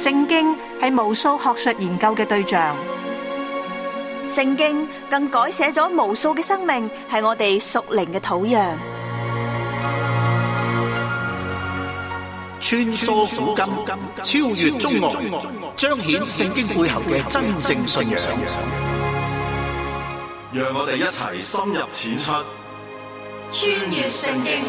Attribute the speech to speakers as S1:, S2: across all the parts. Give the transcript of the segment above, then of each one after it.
S1: 聖經係無數學術研究嘅對象，
S2: 聖經更改寫咗無數嘅生命，係我哋屬靈嘅土壤。
S3: 穿梭古今，超越中外，彰顯聖經背後嘅真正信仰。
S4: 讓我哋一齊深入淺出，
S5: 穿越聖經。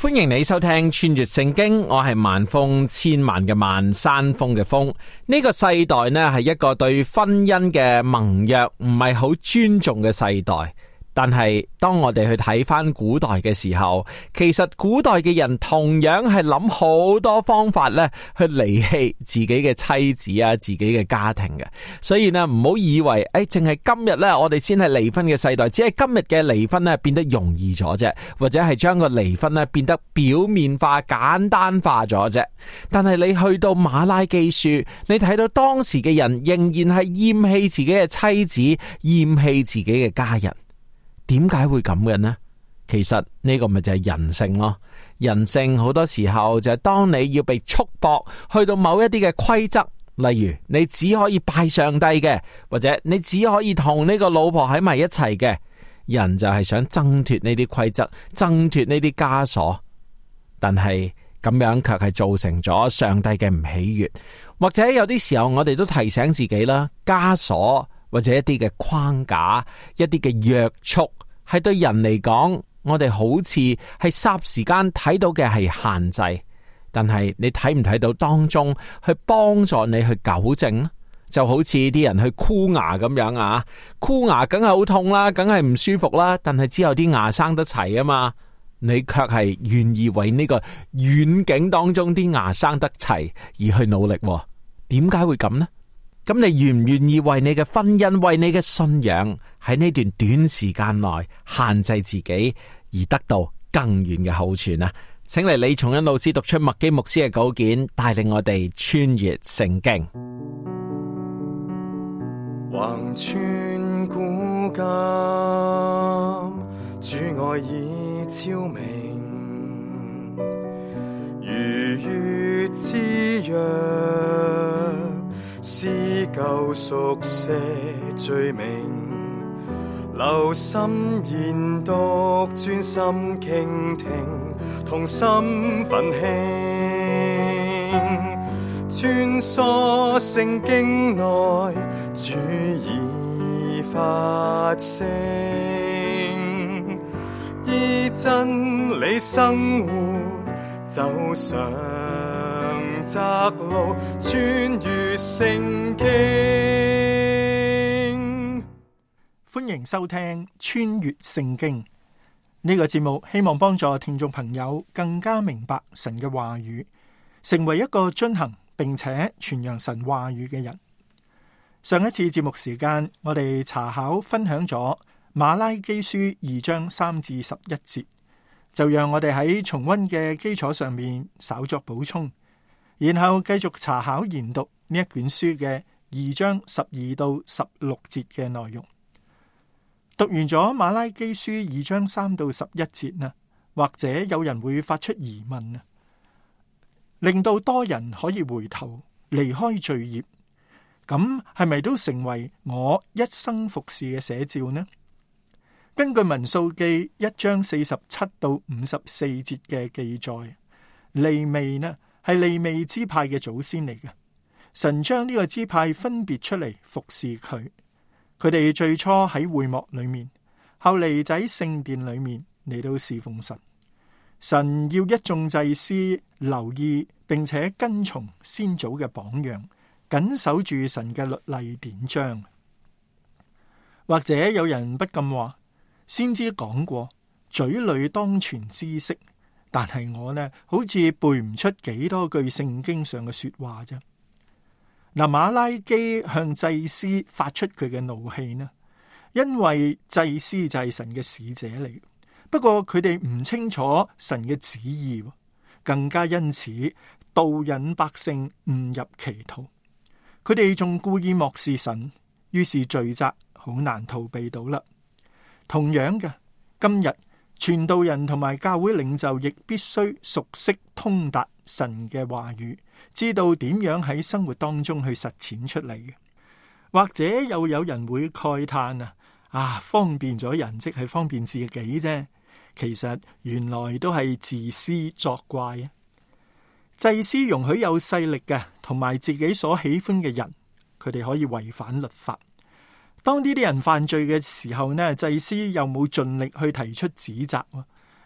S6: 歡迎你收聽穿越聖經，我係萬峰，千萬嘅萬，山峰嘅峰。呢個世代呢，係一個對婚姻嘅盟約唔係好尊重嘅世代。但係當我哋去睇翻古代嘅時候，其實古代嘅人同樣係諗好多方法咧，去離棄自己嘅妻子啊，自己嘅家庭嘅。所以呢，唔好以為淨係今日咧，我哋先係離婚嘅世代，只係今日嘅離婚咧變得容易咗啫，或者係將個離婚咧變得表面化、簡單化咗啫。但係你去到馬拉基書，你睇到當時嘅人仍然係厭棄自己嘅妻子，厭棄自己嘅家人。點解會咁嘅呢？其實呢個咪就係人性咯。人性好多時候就係當你要被束縛去到某一啲嘅規則，例如你只可以拜上帝嘅，或者你只可以同呢個老婆喺埋一齊嘅，人就係想掙脫呢啲規則，掙脫呢啲枷鎖。但係咁樣卻係造成咗上帝嘅唔喜悅，或者有啲時候我哋都提醒自己啦，枷鎖或者一啲嘅框架，一啲嘅約束，係對人嚟講，我哋好似係霎時間睇到嘅係限制，但係你睇唔睇到當中去幫助你去糾正呢？就好似啲人去箍牙咁樣啊，箍牙梗係好痛啦，梗係唔舒服啦，但係之後啲牙生得齊啊嘛，你卻係願意為呢個遠景當中啲牙生得齊而去努力，點解會咁呢？咁你願唔願意為你嘅婚姻，為你嘅信仰喺呢段短時間內限制自己，而得到更遠嘅好處呢？請嚟李松恩老師讀出麥基牧師嘅稿件，帶領我哋穿越聖經。
S7: 橫穿古今，主愛已昭明，如月之約，是救贖些罪名，留心研讀，專心傾聽，同心奮興，穿梭聖經內，主已發聲，依真理生活，走上窄路，穿越聖經。
S8: 歡迎收聽穿越聖經呢個節目，希望幫助聽眾朋友更加明白神嘅話語，成為一個遵行並且傳揚神話語嘅人。上一次節目時間，我哋查考分享咗馬拉基書2章3至11節，就讓我哋喺重溫嘅基礎上面稍作補充，然後繼續查考研讀呢一卷書嘅2章12到16節嘅內容。讀完咗馬拉基書2章3到11節呢，或者有人會發出疑問啊，令到多人可以回頭離開罪孽，咁係咪都成為我一生服侍嘅寫照呢？根據民數記1章47到54節嘅記載，利未呢係利未支派嘅祖先嚟嘅，神將呢個支派分別出嚟服侍佢。佢哋最初喺會幕裏面，後嚟就喺聖殿裏面嚟到侍奉神。神要一眾祭司留意並且跟從先祖嘅榜樣，謹守住神嘅律例典章。或者有人不禁話，先知講過嘴裏當存知識，但係我呢好似背唔出幾多句聖經上嘅說話啫。嗱，馬拉基向祭司發出佢嘅怒氣呢，因為祭司就係神嘅使者嚟，不過佢哋唔清楚神嘅旨意，更加因此導引百姓誤入歧途。佢哋仲故意漠視神，於是罪責好難逃避到啦。同樣嘅，今日傳道人同埋教會領袖亦必須熟悉通達神嘅話語，知道點樣喺生活當中去實踐出嚟嘅。或者又有人會慨嘆方便咗人即係方便自己啫，其實原來都係自私作怪啊！祭司容許有勢力嘅同埋自己所喜歡嘅人，佢哋可以違反律法。當呢啲人犯罪嘅時候呢，祭司又冇盡力去提出指責，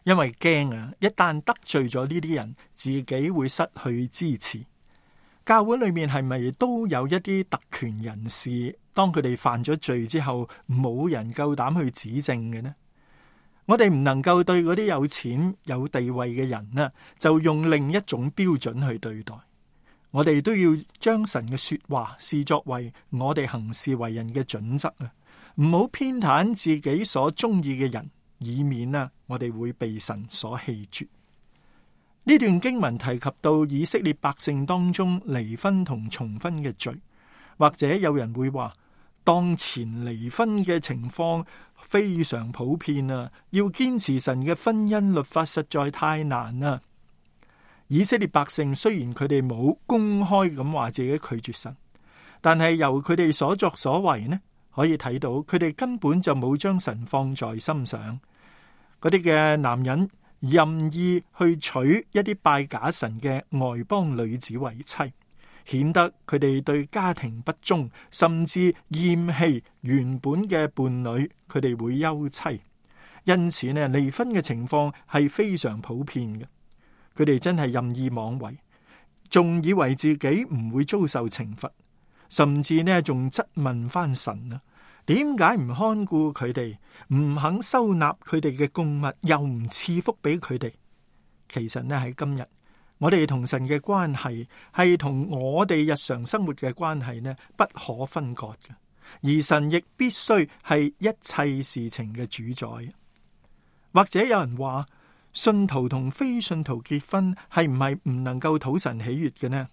S8: 因為驚一旦得罪咗呢啲人，自己會失去支持。教會裏面係咪都有一啲特權人士，當佢哋犯咗罪之後，冇人夠膽去指證嘅呢？我哋唔能夠對嗰啲有錢有地位嘅人呢，就用另一種標準去對待。我哋都要將神嘅說話視作為我哋行事為人嘅準則啊！唔好偏袒自己所中意嘅人，以免我哋會被神所棄絕。呢段經文提及到以色列百姓當中離婚同重婚嘅罪，或者有人會話，當前離婚嘅情況非常普遍啊！要堅持神嘅婚姻律法實在太難啦。以色列百姓雖然佢哋冇公開咁話自己拒絕神，但係由佢哋所作所為呢，可以睇到佢哋根本就冇將神放在心上。嗰啲嘅男人任意去娶一啲拜假神嘅外邦女子為妻，顯得佢哋對家庭不忠，甚至厭棄原本嘅伴侶，佢哋會休妻。因此呢，離婚嘅情況係非常普遍嘅。佢哋真係任意妄為，仲以為自己唔會遭受懲罰，甚至呢仲質問翻神啊，點解唔看顧佢哋，唔肯收納佢哋嘅供物，又唔賜福俾佢哋？其實呢，喺今日，我哋同神嘅關係係同我哋日常生活嘅關係呢不可分割嘅，而神亦必須係一切事情嘅主宰。或者有人話，信徒同非信徒結婚係唔係唔能夠討神喜悅嘅呢？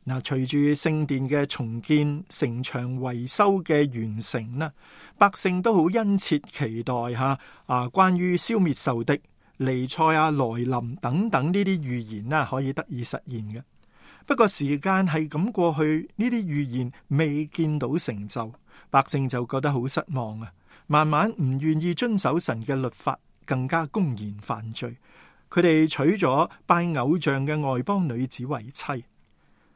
S8: 嗱，隨住聖殿嘅重建、城牆維修嘅完成啦，百姓都好殷切期待關於消滅仇敵、彌賽亞來臨等等呢啲預言啦，可以得以實現嘅。不過時間係咁過去，呢啲預言未見到成就，百姓就覺得好失望啊！慢慢唔願意遵守神嘅律法，更加公然犯罪。佢哋娶咗拜偶像嘅外邦女子為妻。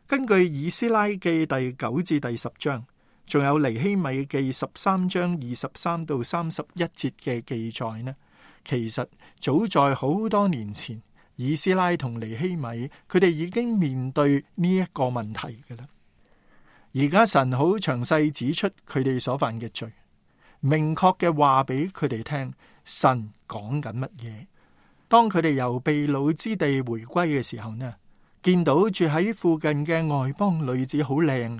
S8: 根據以斯拉記第9至第10章，仲有尼希米記13章23到31節嘅記載呢，其實早在好多年前，以斯拉同尼希米佢哋已經面對呢一個問題㗎喇。而家神好詳細指出佢哋所犯嘅罪，明確嘅話俾佢哋聽，神講緊乜嘢。當佢哋由被擄之地回歸嘅時候呢，見到住喺附近嘅外邦女子好靚，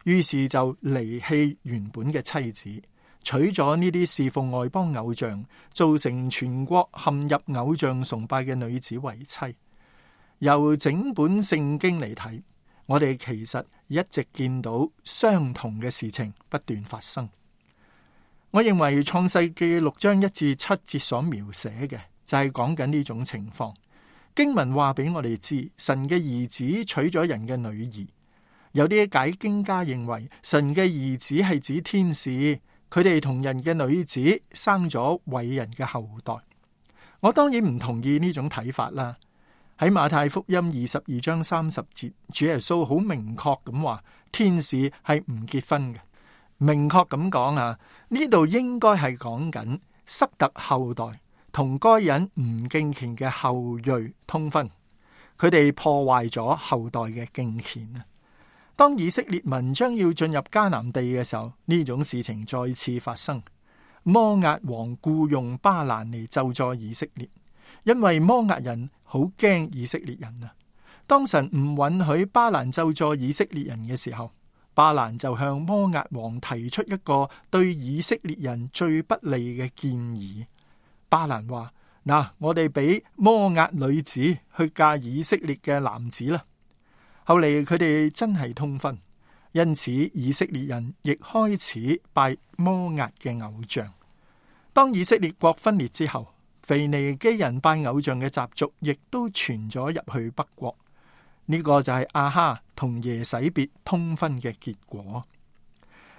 S8: 於是就離棄原本嘅妻子，娶咗呢啲侍奉外邦偶像，造成全國陷入偶像崇拜嘅女子為妻。由整本聖經嚟睇，我哋其實一直見到相同嘅事情不斷發生。我認為創世記6章1至7節所描寫嘅就係講緊呢種情況。經文話俾我哋知，神嘅兒子娶咗人嘅女兒。有啲解經家認為神嘅兒子係指天使，佢哋同人嘅女子生咗偉人嘅後代。我當然唔同意呢種睇法啦。喺馬太福音22章30節，主耶穌好明確咁話，天使係唔結婚嘅。明確咁講啊，呢度應該係講緊塞特後代同該隱唔敬虔嘅後裔通婚，佢哋破壞咗後代嘅敬虔啊！當以色列民將要進入迦南地嘅時候，呢種事情再次發生。摩押王僱用巴蘭嚟咒詛以色列，因為摩押人好驚以色列人啊！當神唔允許巴蘭咒詛以色列人嘅時候，巴蘭就向摩押王提出一個對以色列人最不利嘅建議。巴蘭話：我哋俾摩押女子去嫁以色列嘅男子啦。後嚟佢哋真係通婚，因此以色列人亦開始拜摩押嘅偶像。當以色列國分裂之後，腓尼基人拜偶像嘅習俗亦都傳咗入去北國。呢個就係亞哈同耶洗別通婚嘅結果。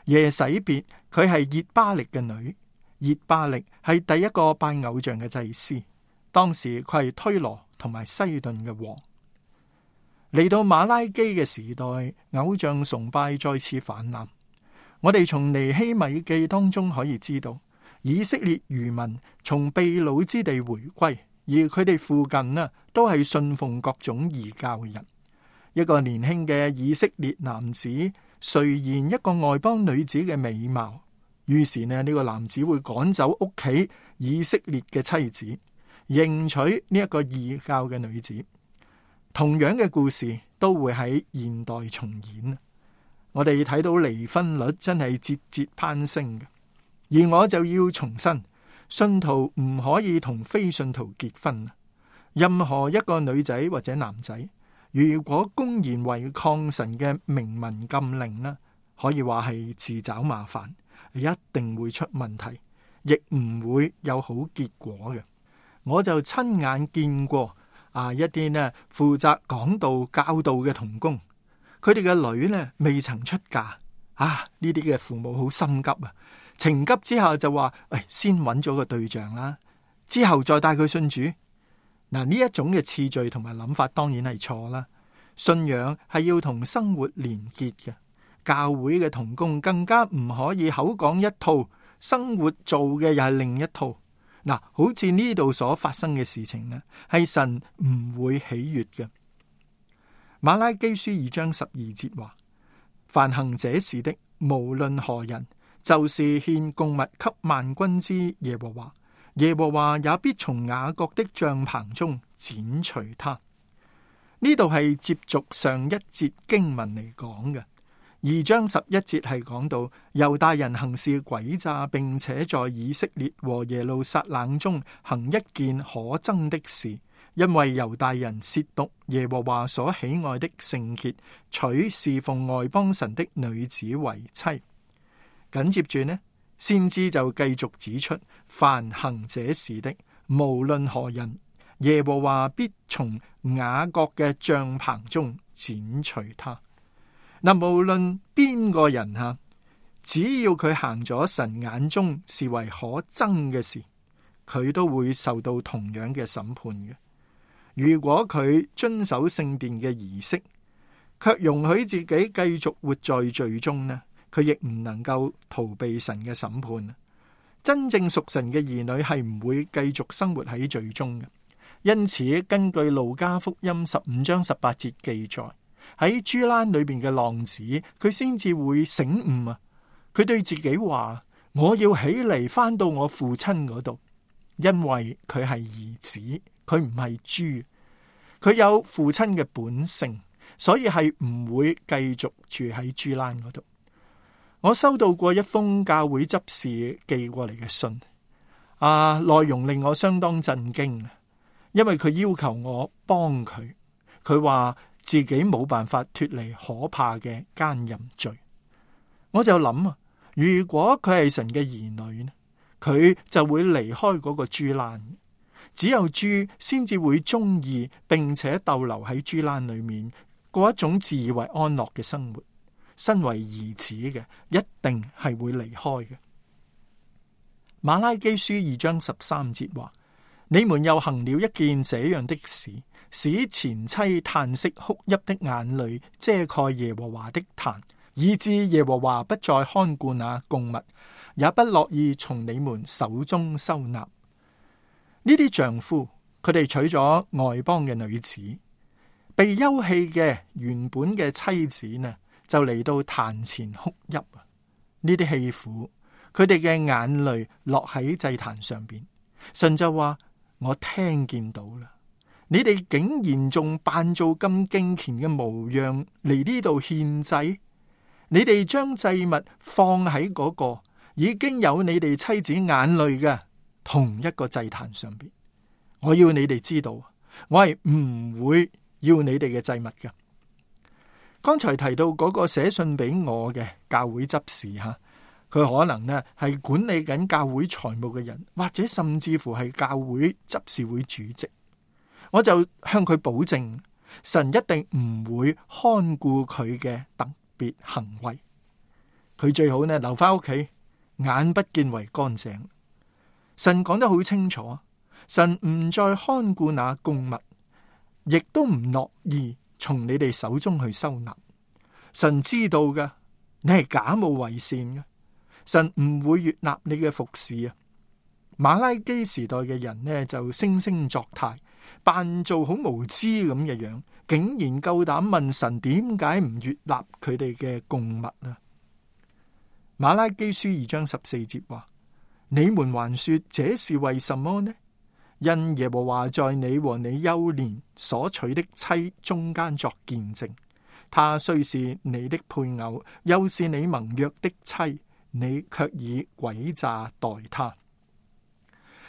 S8: 耶洗別佢係熱巴力嘅女，熱巴力係第一個拜偶像嘅祭司，當時佢係推羅同埋西頓嘅王。嚟到馬拉基嘅時代，偶像崇拜再次泛濫。我哋從尼希米記當中可以知道，以色列餘民從被擄之地回歸，而佢哋附近呢都係信奉各種異教嘅人。一個年輕嘅以色列男子垂涎一個外邦女子嘅美貌，於是呢個男子會趕走屋企以色列嘅妻子，迎娶呢一個異教嘅女子。同樣嘅故事都會喺現代重演。我哋睇到離婚率真係節節攀升嘅，而我就要重申，信徒唔可以同非信徒結婚。任何一個女仔或者男仔，如果公然違抗神嘅明文禁令呢，可以話係自找麻煩，一定會出問題，亦唔會有好結果嘅。我就親眼見過一啲呢負責講道教導嘅同工，佢哋嘅女呢未曾出嫁，呢啲嘅父母好心急啊，情急之下就話，先揾咗個對象啦，之後再帶佢信主。嗱，呢一種嘅次序同埋諗法當然係錯啦。信仰係要同生活連結嘅，教會嘅同工更加唔可以口講一套，生活做嘅又係另一套。嗱，好似呢度所發生嘅事情呢，係神唔會喜悅嘅。馬拉基書2章12節話：凡行這事的，無論何人，就是獻供物給萬軍之耶和華，耶和華也必從雅各的帳棚中剪除他。呢度係接續上一節經文嚟講嘅。2章11節係講到猶大人行事詭詐，並且在以色列和耶路撒冷中行一件可憎的事，因為猶大人褻瀆耶和華所喜愛的聖潔，娶侍奉外邦神的女子為妻。緊接住呢，先知就繼續指出，凡行這事的，無論何人，耶和華必從雅各嘅帳棚中剪除他。嗱，無論邊個人吓，只要佢行咗神眼中視為可憎嘅事，佢都會受到同樣嘅審判嘅。如果佢遵守聖殿嘅儀式，卻容許自己繼續活在罪中呢，佢亦唔能夠逃避神嘅審判。真正屬神嘅兒女係唔會繼續生活喺罪中嘅。因此，根據路加福音15章18節記載，喺豬欄裏邊嘅浪子，佢先至會醒悟啊！佢對自己話：我要起嚟返到我父親嗰度，因為佢係兒子，佢唔係豬，佢有父親嘅本性，所以係唔會繼續住喺豬欄嗰度。我收到過一封教會執事寄過嚟嘅信，內容令我相當震驚，因為佢要求我幫佢，佢話自己冇辦法脫離可怕嘅奸淫罪。我就諗啊，如果佢係神嘅兒女呢，佢就會離開嗰個豬欄。只有豬先至會中意並且逗留喺豬欄裏面，過一種自以為安樂嘅生活。身為兒子嘅，一定係會離開嘅。馬拉基書2章13節話：你們又行了一件這樣的事，使前妻嘆息哭泣的眼淚遮蓋耶和華的壇，以致耶和華不再看顧那供物，也不樂意從你們手中收納。呢啲丈夫，佢哋娶咗外邦嘅女子，被休棄嘅原本嘅妻子呢，就嚟到壇前哭泣啊！呢啲棄婦，佢哋嘅眼淚落喺祭壇上邊，神就話：我聽見到啦，你哋竟然仲扮做咁敬虔嘅模樣嚟呢度獻祭，你哋將祭物放喺嗰個已經有你哋妻子眼淚嘅同一個祭壇上邊。我要你哋知道，我係唔會要你哋嘅祭物嘅。剛才提到嗰個寫信俾我嘅教會執事吓，佢可能呢係管理緊教會財務嘅人，或者甚至乎係教會執事會主席。我就向佢保證，神一定唔會看顧佢嘅特別行為。佢最好呢留翻屋企，眼不見為乾淨。神講得好清楚，神唔再看顧那供物，亦都唔樂意從你哋手中去收納。神知道㗎，你係假冒為善嘅，神唔會悅納你嘅服侍啊。馬拉基時代嘅人呢，就惺惺作態，扮做好無知咁嘅樣，竟然夠膽問神點解唔悅納佢哋嘅供物啊？馬拉基書2章14節話：你們還說這是為什麼呢？因耶和華在你和你幼年所娶的妻中間作見證，他雖是你的配偶，又是你盟約的妻，你卻以詭詐待他。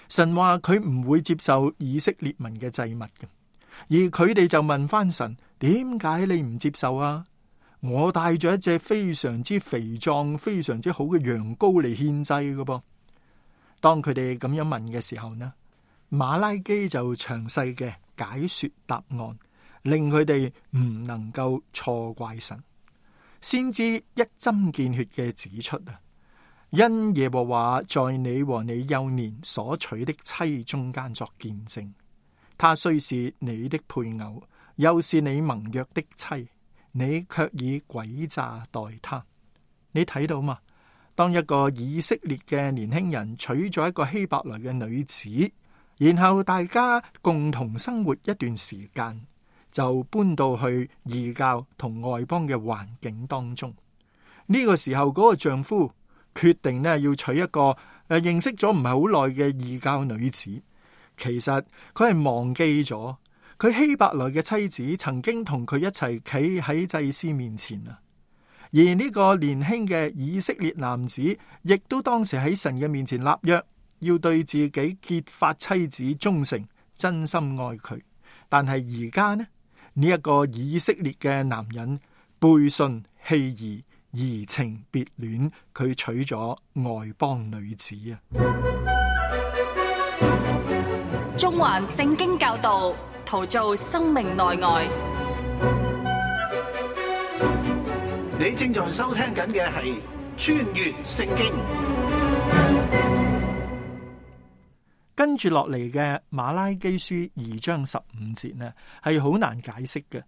S8: 神話佢唔會接受以色列民嘅祭物嘅，而佢哋就問翻神：點解你唔接受啊？我帶咗一隻非常之肥壯、非常之好嘅羊羔嚟獻祭嘅噃。當佢哋咁樣問嘅時候呢，馬拉基就詳細嘅解說答案，令佢哋唔能夠錯怪神。先知一針見血嘅指出啊，因耶和華在你和你幼年所娶的妻中間作見證，他雖是你的配偶，又是你盟約的妻，你卻以詭詐待他。你睇到嘛？當一個以色列嘅年輕人娶咗一個希伯來嘅女子，然後大家共同生活一段時間，就搬到去異教同外邦嘅環境當中。呢個時候，嗰個丈夫決定呢要娶一個認識咗唔係好耐嘅異教女子。其實佢係忘記咗佢希伯來嘅妻子曾經同佢一齊企喺祭司面前啊。而呢個年輕嘅以色列男子亦都當時喺神嘅面前立約，要對自己結髮妻子忠誠，真心愛佢。但係而家呢一個以色列嘅男人背信棄義，移情別戀，佢娶咗外邦女子啊！
S5: 中環聖經教導，陶造生命內外。
S3: 你正在收聽緊嘅係穿越聖經。
S8: 跟住落嚟嘅馬拉基書2章15節呢，係好難解釋嘅。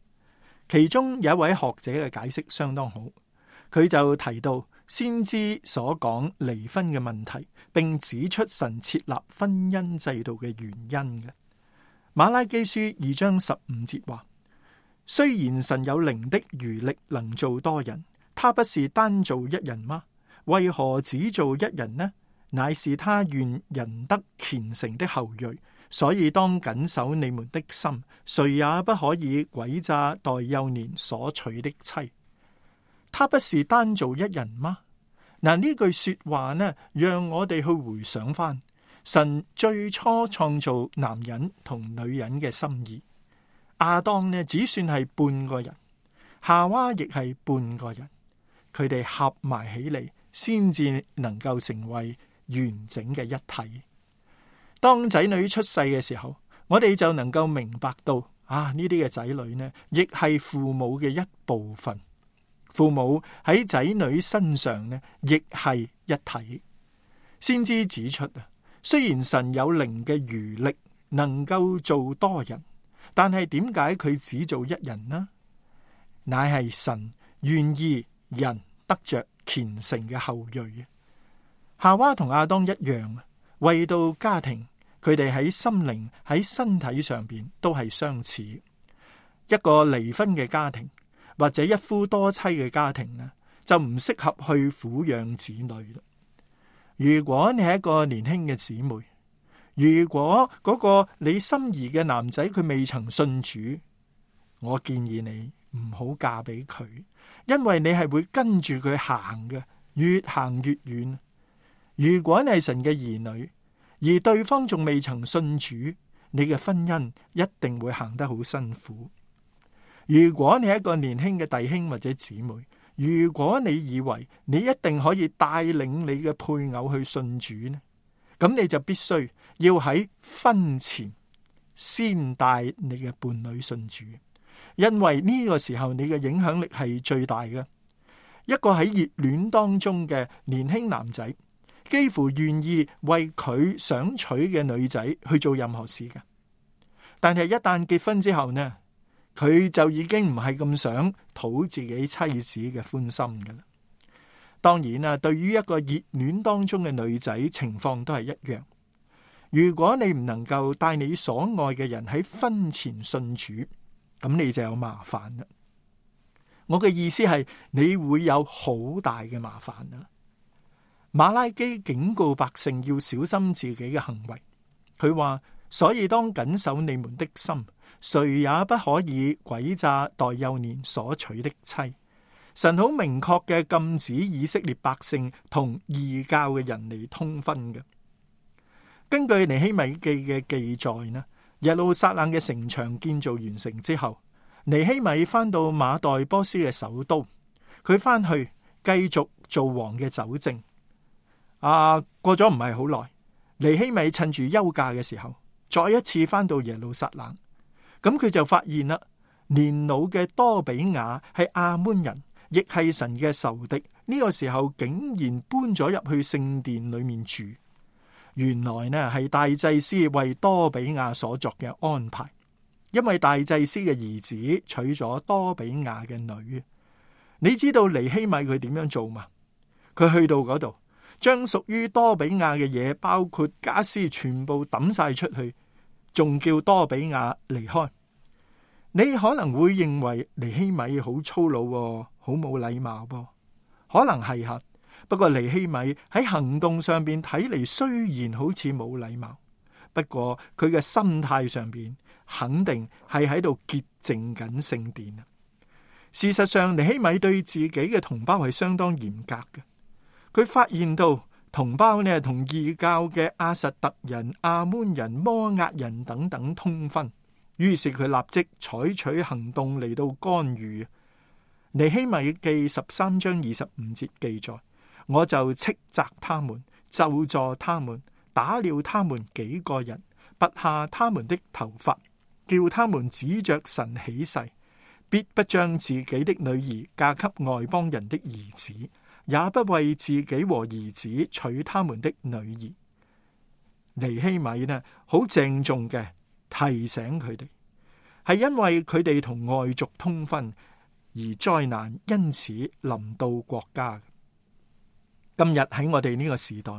S8: 其中有一位學者嘅解釋相當好，佢就提到先知所講離婚嘅問題，並指出神設立婚姻制度嘅原因嘅。馬拉基書2章15節話：雖然神有靈的餘力能做多人，他不是單做一人嗎？為何只做一人呢？乃是他願人得虔誠的後裔，所以當謹守你們的心，誰也不可以詭詐待幼年所娶的妻。他不是單做一人嗎？嗱，呢句說話呢，讓我哋去回想翻神最初創造男人同女人嘅心意。亞當呢，只算係半個人，夏娃亦係半個人，佢哋合埋起嚟，先至能夠成為完整嘅一體。當仔女出世嘅時候，我哋就能夠明白到呢啲嘅仔女呢，亦係父母嘅一部分。父母喺仔女身上呢，亦係一體。先知指出啊，雖然神有靈嘅餘力，能夠做多人，但係點解佢只做一人呢？乃係神願意人得着虔誠嘅後裔。夏娃同亞當一樣，為到家庭，佢哋喺心靈、喺身體上邊都係相似。一個離婚嘅家庭或者一夫多妻嘅家庭呢，就唔適合去撫養子女啦。如果你係一個年輕嘅姊妹，如果嗰個你心儀嘅男仔佢未曾信主，我建議你唔好嫁俾佢，因為你係會跟住佢行嘅，越行越遠。如果你係神嘅兒女，而對方仲未曾信主，你嘅婚姻一定會行得好辛苦。如果你係一個年輕嘅弟兄或者姊妹，如果你以為你一定可以帶領你嘅配偶去信主呢，咁你就必須要喺婚前先帶你嘅伴侶信主，因為呢個時候你嘅影響力係最大嘅。一個喺熱戀當中嘅年輕男仔，幾乎願意為佢想娶嘅女仔去做任何事嘅，但係一旦結婚之後呢，佢就已經唔係咁想討自己妻子嘅歡心㗎啦。當然啦，對於一個熱戀當中嘅女仔，情況都係一樣。如果你唔能夠帶你所愛嘅人喺婚前信主，咁你就有麻煩啦。我嘅意思係你會有好大嘅麻煩啦。馬拉基警告百姓要小心自己嘅行為，佢話：所以當謹守你們的心，誰也不可以詭詐待幼年所娶的妻。神好明確嘅禁止以色列百姓同異教嘅人嚟通婚嘅。根據尼希米記嘅記載呢，耶路撒冷嘅城牆建造完成之後，尼希米翻到馬代波斯嘅首都，佢翻去繼續做王嘅酒政。過咗唔係好耐，尼希米趁住休假嘅時候，再一次翻到耶路撒冷，咁佢就發現啦，年老嘅多比亞係亞捫人，亦係神嘅仇敵。呢個時候竟然搬咗入去聖殿裏面住。原來呢係大祭司為多比亞所作嘅安排，因為大祭司嘅兒子娶咗多比亞嘅女。你知道尼希米佢點樣做嘛？佢去到嗰度，將屬於多比亞嘅嘢，包括家私，全部抌晒出去，仲叫多比亞離開。你可能會認為尼希米好粗魯，好冇禮貌噃，可能係吓。不過尼希米喺行動上邊睇嚟，雖然好似冇禮貌，不過佢嘅心態上邊肯定係喺度潔淨緊聖殿啊。事實上，尼希米對自己嘅同胞係相當嚴格嘅。佢發現到同胞呢同異教嘅亞實突人、亞捫人、摩押人等等通婚，於是佢立即採取行動嚟到干預。尼希米記13章25節記載：我就斥責他們，咒詛他們，打了他們幾個人，拔下他們的頭髮，叫他們指着神起誓，必不將自己的女兒嫁給外邦人的兒子，也不為自己和兒子娶他們的女兒。尼希米呢，好鄭重嘅提醒佢哋，係因為佢哋同外族通婚而災難因此臨到國家。今日喺我哋呢個時代，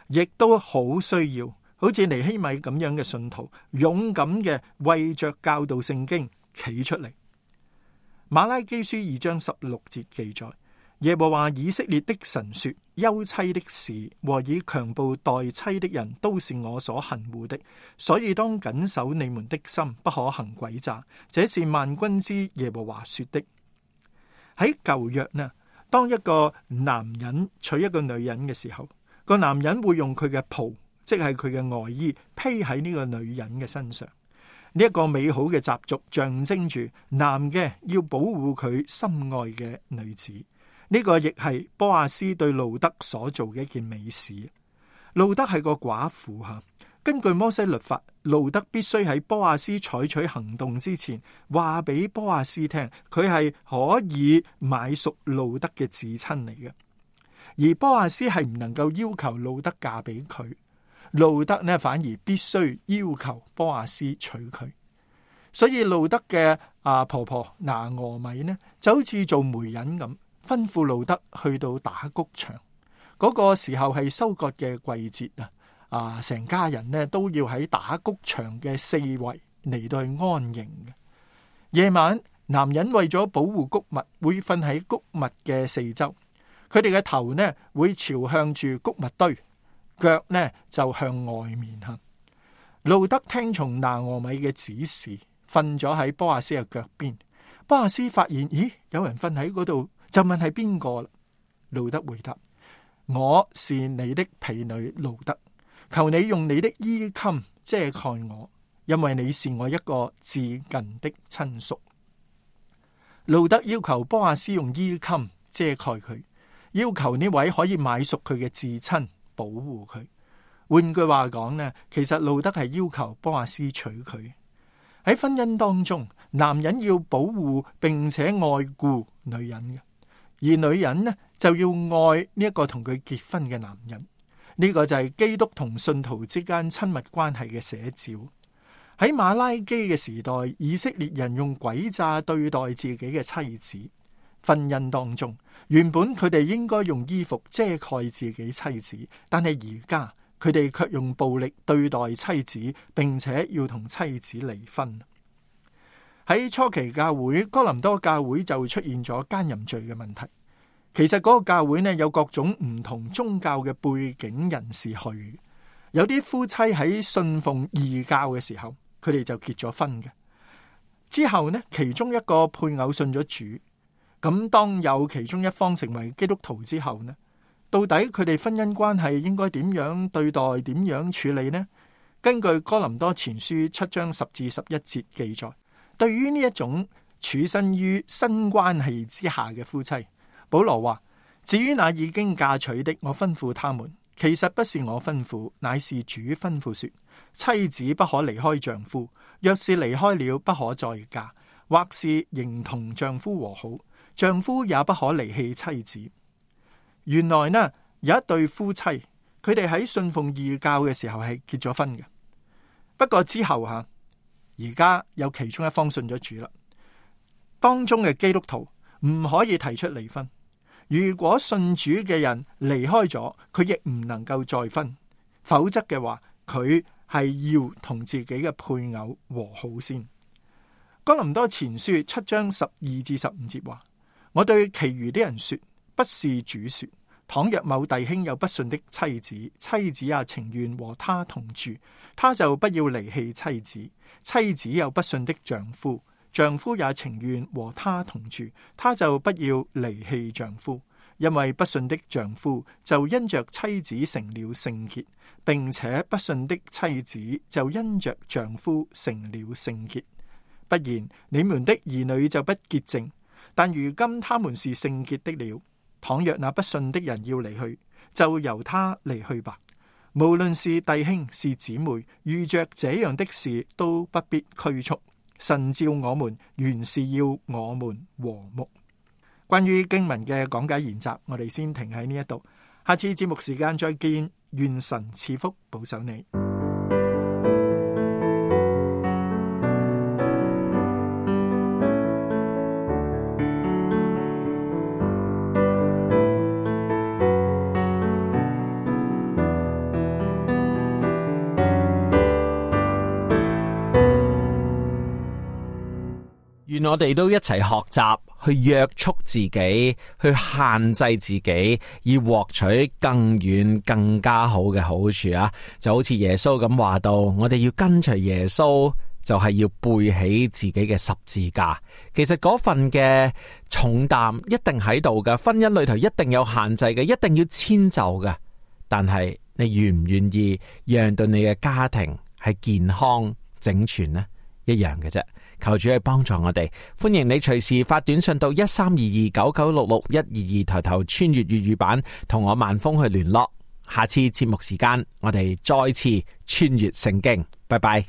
S8: 亦都好需要好似尼希米咁樣嘅信徒，勇敢嘅為着教導聖經企出嚟。馬拉基書2章16節記載：耶和華以色列的神說，休妻的事和以強暴待妻的人都是我所恨惡的，所以當謹守你們的心，不可行詭詐，這是萬軍之耶和華說的。喺舊約呢，當一個男人娶一個女人嘅時候，個男人會用佢嘅袍，即係佢嘅外衣，披喺呢個女人嘅身上。呢一個美好嘅習俗象徵住男嘅要保護佢心愛嘅女子。呢個亦係波阿斯對路德所做嘅一件美事。路德係個寡婦吓，根據摩西律法，路德必須喺波阿斯採取行動之前，話俾波阿斯聽，佢係可以買贖路德嘅至親嚟嘅。而波阿斯係唔能夠要求路德嫁俾佢。路德呢，反而必須要求波阿斯娶佢，所以路德嘅婆婆拿俄米呢，就好似做媒人咁，吩咐路德去到打谷場。嗰個時候係收割嘅季節啊，成家人呢都要喺打谷場嘅四圍嚟到去安營嘅。夜晚，男人為咗保護谷物，會瞓喺谷物嘅四周，佢哋嘅頭呢會朝向住谷物堆，腳呢就向外面行。路德聽從拿俄米嘅指示，瞓咗喺波阿斯嘅腳邊。波阿斯發現，咦，有人瞓喺嗰度，就問係邊個啦。路德回答：我是你的婢女路德，求你用你的衣襟遮蓋我，因為你是我一個至近的親屬。路德要求波阿斯用衣襟遮蓋佢，要求呢位可以買贖佢嘅至親保護佢。換句話講呢，其實路德係要求波阿斯娶佢。喺婚姻當中，男人要保護並且愛顧女人嘅，而女人呢就要愛呢一個同佢結婚嘅男人。呢個就係基督同信徒之間親密關係嘅寫照。喺馬拉基嘅時代，以色列人用詭詐對待自己嘅妻子。婚姻當中，原本佢哋應該用衣服遮蓋自己妻子，但係而家佢哋卻用暴力對待妻子，並且要同妻子離婚。喺初期教會，哥林多教會就出現咗奸淫罪嘅問題。其實嗰個教會呢，有各種唔同宗教嘅背景人士去，有啲夫妻喺信奉異教嘅時候，佢哋就結咗婚嘅。之後呢，其中一個配偶信咗主，咁當有其中一方成為基督徒之後呢，到底佢哋婚姻關係應該點樣對待，點樣處理呢？根據哥林多前書7章10至11節記載，對於呢一種處身於新關係之下嘅夫妻，保羅話：至於那已經嫁娶的，我吩咐他們，其實不是我吩咐，乃是主吩咐說，妻子不可離開丈夫，若是離開了，不可再嫁，或是仍同丈夫和好，丈夫也不可離棄妻子。原來呢，有一對夫妻，佢哋喺信奉異教嘅時候係結咗婚嘅。不過之後而家有其中一方信咗主啦。當中嘅基督徒唔可以提出離婚。如果信主嘅人離開咗，佢亦唔能夠再婚，否則嘅話，佢係要同自己嘅配偶和好先。哥林多前書7章12至15節話：我對其餘啲人說，不是主說，倘若某弟兄有不信的妻子，妻子也情願和他同住，他就不要離棄妻子；妻子有不信的丈夫，丈夫也情願和他同住，他就不要離棄丈夫。因為不信的丈夫就因着妻子成了聖潔，並且不信的妻子就因着丈夫成了聖潔。不然，你們的兒女就不潔淨，但如今他們是聖潔的了。倘若那不信的人要離去，就由他離去吧。無論是弟兄是姊妹，遇着這樣的事都不必拘束。神召我們，原是要我們和睦。關於經文嘅講解研習，我哋先停喺呢一度。下次節目時間再見，願神賜福保守你。
S6: 願我哋都一齊學習去約束自己，去限制自己，以獲取更遠更加好嘅好處啊！就好似耶穌咁話到，我哋要跟隨耶穌，就係要背起自己嘅十字架。其實嗰份嘅重擔一定喺度嘅，婚姻裏頭一定有限制嘅，一定要遷就嘅。但係你願唔願意讓到你嘅家庭係健康整全呢？一樣嘅啫。求主去幫助我哋，歡迎你隨時發短信到132299661122，抬頭穿越粵語版同我萬峰去聯絡。下次節目時間，我哋再次穿越聖經。拜拜。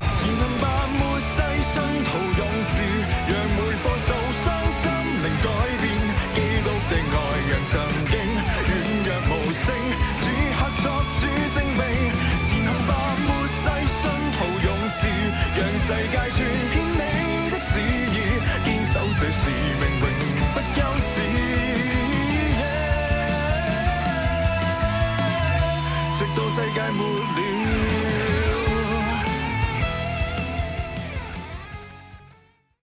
S7: 世界末了